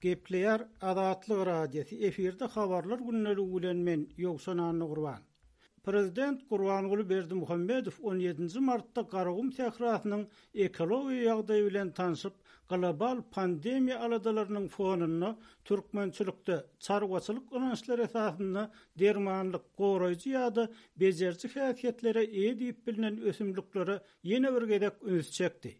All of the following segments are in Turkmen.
Gepleýär Azatlyk Radiosy, efirde Habarlar gündeligi bilen men, Ýowşan Annagurban. Prezident Gurbanguly Berdimuhamedow on ýedinji martda Garagum sährasynyň ekologiýa ýagdaýy bilen tanşyp, global pandemiýa aladalarynyň fonunda türkmençilikde çarwaçylyk ynançlary esasynda dermanlyk, goraýjy ýa-da bejeriji häsiýetlere eýe diýip bilnen ösümliklere ýene bir gezek üns çekdi.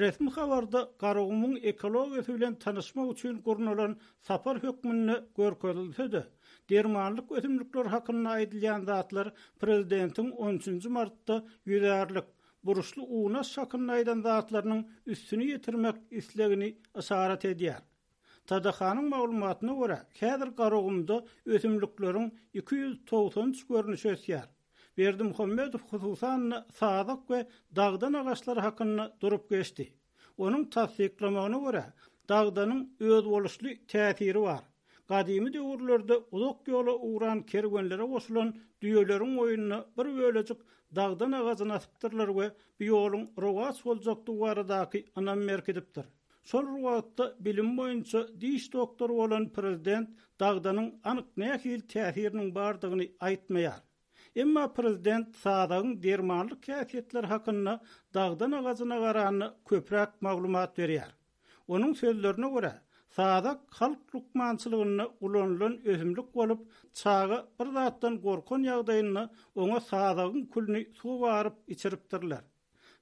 Resmi habarda Garagumuň ekologiýasy bilen tanyşmak üçin gurnalan sapar hökmünde görkezilse-de, dermanlyk ösümlikler hakynda aýdylýan zatlar prezidentiň on üçünji martda ýüzärlik, burçly unaş hakynda aýdan zatlarynyň üstüni ýetirmek islegini yşarat edýär. TDH-nyň maglumatyna görä, häzir Garagumda ösümlikleriň 293 görnüşi ösýär. Berdimuhamedow hususan-da sazak we dagdan agaçlary hakynda durup geçdi. Onuň tassyklamagyna görä, dagdanyň özboluşly täsiri bar. Gadymy döwürlerde uzak ýola ugran kerwenlere goşulan düýeleriň boýnuna bir bölejik dagdan agajyny asypdyrlar we bu ýoluň rowaç boljakdygy baradaky ynam berkidipdir. Şol bir wagtda bilimi boýunça diş doktory bolan prezident dagdanyň anyk nähili täsiriniň bardygyny aýtmaýar. Emma prezident sazagyň dermanlyk häsiýetleri hakynda dagdan agajyna garanda köpräk maglumat berýär. Onuň sözlerine görä, sazak halk lukmançylygynda ulanylan ösümlik bolup, çaga bir zatdan gorkan ýagdaýynda oňa sazagyň külüni suwa garyp içiripdirler.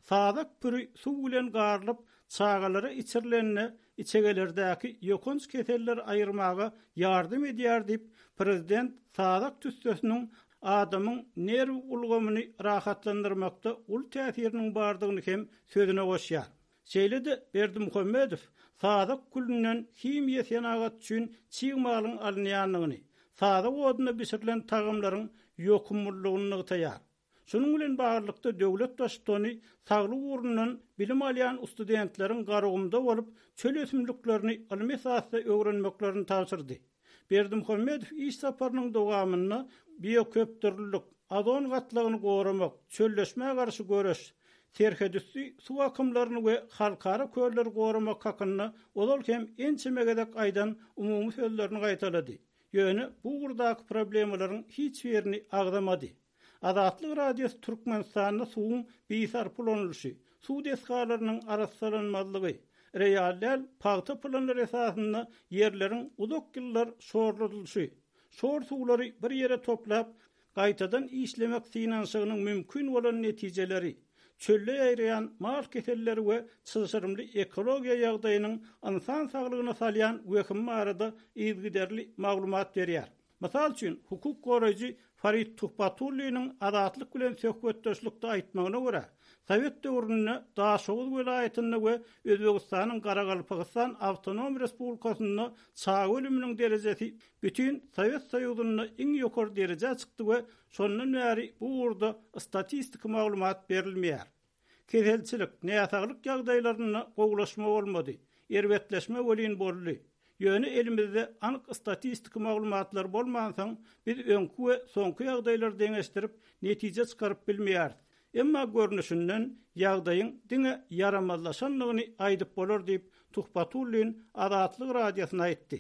Sazak püri suw bilen garylyp, çagalara içirilende içegelerdäki ýokanç keselleri aýyrmaga ýardam edýär diýip, prezident sazak tüssesiniň adamyň nerw ulgamyny rahatlandyrmakda uly täsiriniň bardygyny hem sözüne goşýar. Şeýle-de Berdimuhamedow sazak külünden himiýa senagaty üçin çig malyň alynýandygyny, sazak odunda bişirilen tagamlaryň ýokumlylygyny nygtaýar. Şunuň bilen baglylykda, döwlet Baştutany saglyk ugrundan bilim alýan studentleriň Garagumda bolup, çöl ösümliklerini ylmy esasda öwrenmeklerini tabşyrdy. Berdimuhamedow iş saparynyň dowamynda bioköpdürlülik, ozon gatlagyny goramak, çölleşmä garşy göreş, serhetüsti suw akymlaryny we halkara kölleri goramak hakynda ozal hem ençeme gezek aýdan umumy sözlerini gaýtalady. Ýöne bu ugurdaky problemalaryň hiç birini agzamady. Azatlyk Radiosy Türkmenistanda suwuň bisarpa ulanylyşy, suw desgalarynyň arassalanmazlygy, real däl pagta planlary esasynda ýerleriň uzak ýyllar şorladylyşy, şor suwlary bir ýere toplap, gaýtadan işlemek synanyşygynyň mümkin bolan netijeleri, çölde ýaýraýan mal keselleri we çylşyrymly ekologiýa ýagdaýynyň ynsan saglygyna salýan wehimi barada yzygiderli maglumat berýär. Mysal üçin, hukuk goraýjy Farid Tuhbatulliniň Azatlyk bilen söhbetdeşlikde aýtmagyna görä, sowet döwründe Daşoguz welaýatynda we Özbegistanyň Garagalpagystan awtonom respublikasynda çaga ölüminiň derejesi bütin Sowet Soýuzynda iň ýokary derejä çykdy we şondan bäri bu ugurda statistiki maglumat berilmeýär. Keselçilik, näsaglyk ýagdaýlarynda gowulaşma bolmady, erbetleşme welin boldy. Ýöne elimizde anyk statistiki maglumatlar bolmansoň, biz öňki we soňky ýagdaýlary deňeşdirip, netije çykaryp bilmeýäris. Emma görnüşinden, ýagdaýyň diňe ýaramazlaşandygyny aýdyp bolar diýip, Tuhbatullin Azatlyk Radiosyna aýtdy.